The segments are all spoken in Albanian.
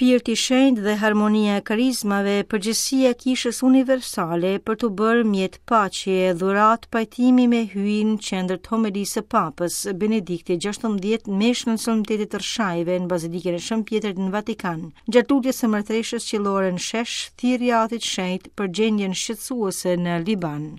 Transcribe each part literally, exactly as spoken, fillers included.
Shpirti i Shenjtë dhe harmonia e karizmave, përgjegjësia e Kishës Universale për të bërë mjet paqe e dhuratë pajtimi me Hyjin, qendër të homelisë së Papës Benedikti gjashtëmbëdhjetë meshën e solemnitetit të Rrshajve në Bazilikën e Shën Pjetrit në Vatikan. Gjatë lutjes së Mbretëreshës Qiellore në shesh, thirrja Atit Shenjt për gjendjen shqetësuese në Liban.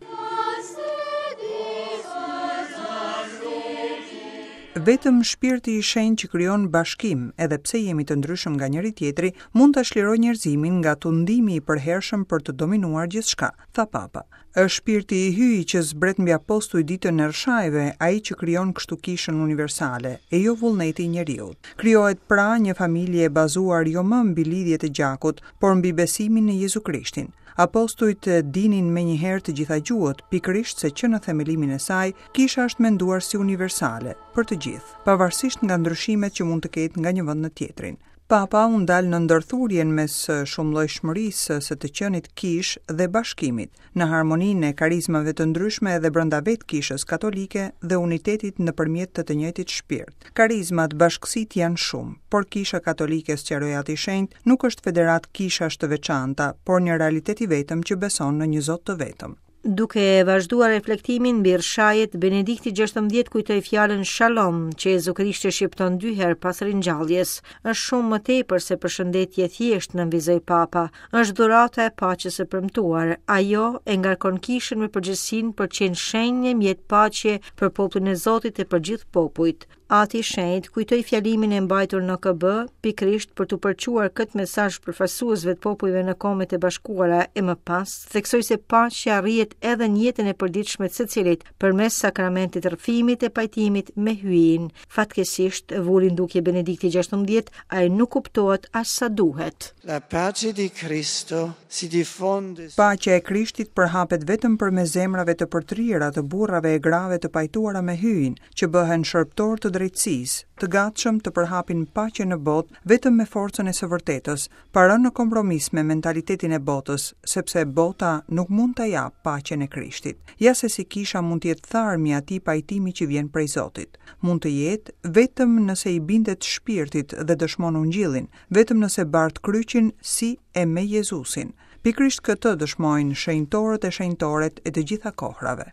Vetëm Shpirti i Shenjtë që krijon bashkim, edhe pse jemi të ndryshëm nga njëri tjetri, mund ta çlirojë njerëzimin nga tundimi i përhershëm për të dominuar gjithçka, tha Papa. Është Shpirti i Hyjit që zbret mbi apostuj ditën e Rrshajve, ai që krijon kështu kishën universale, e jo vullneti i njeriut. Krijohet pra një familje e bazuar jo më mbi lidhjet e gjakut, por mbi besimin në Jezu Krishtin. Apostujt dinin menjëherë të gjitha gjuhët, pikërisht se që në themelimin e saj, kisha është menduar si universale, për të gjithë, pavarësisht nga ndryshimet që mund të ketë nga një vend në tjetrin. Papa u ndal në ndërthurjen mes shumëllojshmërisë së të qenit kish dhe bashkimit, në harmoninë e karizmave të ndryshme edhe brenda vetë kishës katolike dhe unitetit nëpërmjet të të njëjtit shpirt. Karizmat, bashkësitë janë shumë, por kisha katolike, sqaroi Ati i Shenjtë, nuk është federat kishash të veçanta, por një realitet i vetëm që beson në një Zot të vetëm. Duke vazhduar reflektimin mbi Rrshajt, Benedikti gjashtëmbëdhjetë kujtoi fjalën Shalom, që Jezu Krishti shqipton dy herë pas ringjalljes. Është shumë më tepër se përshëndetje e thjeshtë, nënvizoi Papa. Është dhurata e paqes së premtuar. Ajo e ngarkon kishën me përgjegjësinë për qenë shenjë e mjet paqe për popullin e Zotit e për gjithë popujt. Ati i Shenjtë kujtoi fjalimin e mbajtur në O K B, pikërisht për t'u përçuar këtë mesazh përfaqësuesve të popujve në Kombet e Bashkuara e më pas, theksoi se paqja arrihet edhe në jetën e përditshme të secilit përmes sakramentit të rrëfimit e pajtimit me Hyjin. Fatkeqësisht, vuri në dukje Benedikti gjashtëmbëdhjetë, ai nuk kuptohet as sa duhet. La pace di Cristo si diffonde Paqja e Krishtit përhapet vetëm përmes zemrave të përtëriera të burrave e grave të pajtuara me Hyjin, që bëhen shërbëtor të drejtësisë, të gatshëm të përhapin paqe në botë vetëm me forcën e së vërtetës, pa rënë në kompromis me mentalitetin e botës, sepse bota nuk mund ta japë paqen e Krishtit. Ja se si kisha mund të jetë tharmi atij pajtimi që vjen prej Zotit. Mund të jetë vetëm nëse i bindet shpirtit dhe dëshmon ungjillin, vetëm nëse bart kryqin si e me Jezusin. Pikërisht këtë dëshmojnë shenjtorët e shenjtoret e të gjitha kohrave.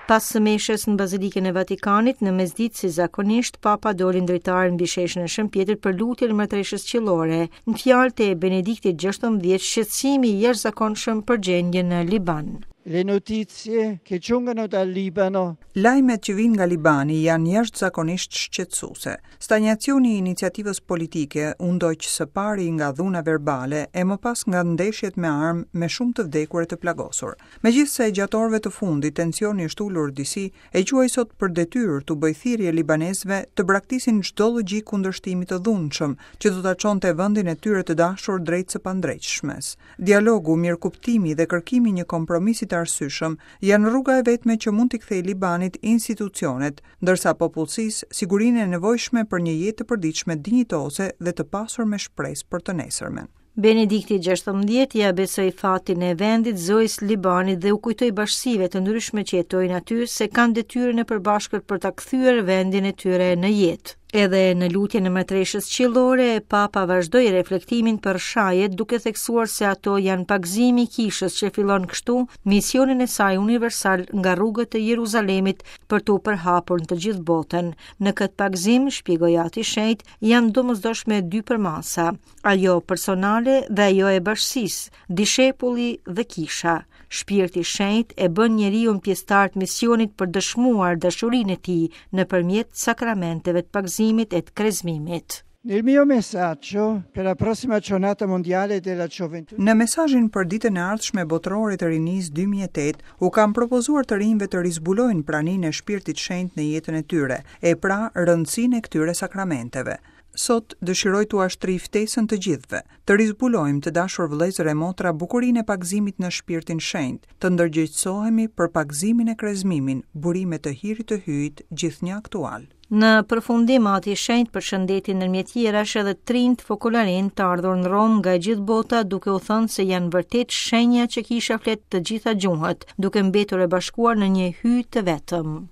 Pas së meshës në Bazilikën e Vatikanit, në mesditë si zakonisht, Papa doli në dritare mbi sheshin e Shën Pjetrit për lutjen e Mbretëreshës Qiellore. Në fjalët e Benediktit gjashtëmbëdhjetë, shqetësimi i jashtëzakonshëm për gjendjen në Liban. Le notizie che giungono dal Libano. Lajmet që vijnë nga Libani janë jashtëzakonisht shqetësuese. Stanjacioni i iniciativës politike u ndoq së pari nga dhuna verbale e më pas nga ndeshjet me armë me shumë të vdekur e të plagosur. Megjithëse gjatë orëve të fundit tensioni është ulur disi, e quaj sot për detyrë t'u bëj thirrje libanezëve të braktisin çdo logjikë kundërshtimi të dhunshëm që do ta çonte vendin e tyre të dashur drejt së pandreqshmes. Dialogu, mirëkuptimi dhe kërkimi i një kompromisi të arsyeshëm janë rruga e vetme që mund t'i kthejë Libanit institucionet, ndërsa popullsisë sigurinë e nevojshme për një jetë të përditshme dinjitoze dhe të pasur me shpresë për të nesërmen. Benedikti gjashtëmbëdhjetë ia besoi fatin e vendit Zojës Libanit dhe u kujtoi bashkësive të ndryshme që jetojnë aty se kanë detyrën e përbashkët për ta kthyer vendin e tyre në jetë. Edhe në lutjen e Mbretëreshës Qiellore, Papa vazhdoi reflektimin për shajet, duke theksuar se ato janë pagëzimi i kishës që fillon kështu misionin e saj universal nga rrugët e Jeruzalemit për t'u përhapur në të gjithë botën. Në këtë pagëzim, shpjegoi Ati i Shenjtë, janë domosdoshme dy përmasa, ajo personale dhe ajo e bashkësisë, dishepulli dhe kisha. Shpirti i Shenjtë e bën njeriu pjesëtar të misionit për dëshmuar dashurinë e tij nëpërmjet sakramenteve të pagëzimit e të krezmimit. Nel mio messaggio per la prossima giornata mondiale della gioventù. Në mesazhin për ditën e ardhshme botërore të rinisë dy mijë e tetë, u kam propozuar të rinjve të rizbulojnë praninë e Shpirtit Shenjt në jetën e tyre, e pra rëndësinë e këtyre sakramenteve. Sot dëshiroj t'ua shtrij ftesën të gjithëve, të rizbulojmë të dashur vëllezër e motra bukurinë e pagëzimit në Shpirtin Shenjt, të ndërgjegjësohemi për pagëzimin e krezmimin, burime të hirit të Hyjit gjithnjë aktual. Në përfundim, Ati i Shenjtë përshëndeti ndërmjet tjerash edhe trinjt fokolarin të ardhur në Romë nga e gjithë bota, duke u thënë se janë vërtet shenja që kisha flet të gjitha gjuhët, duke mbetur e bashkuar në një Hyj të vetëm.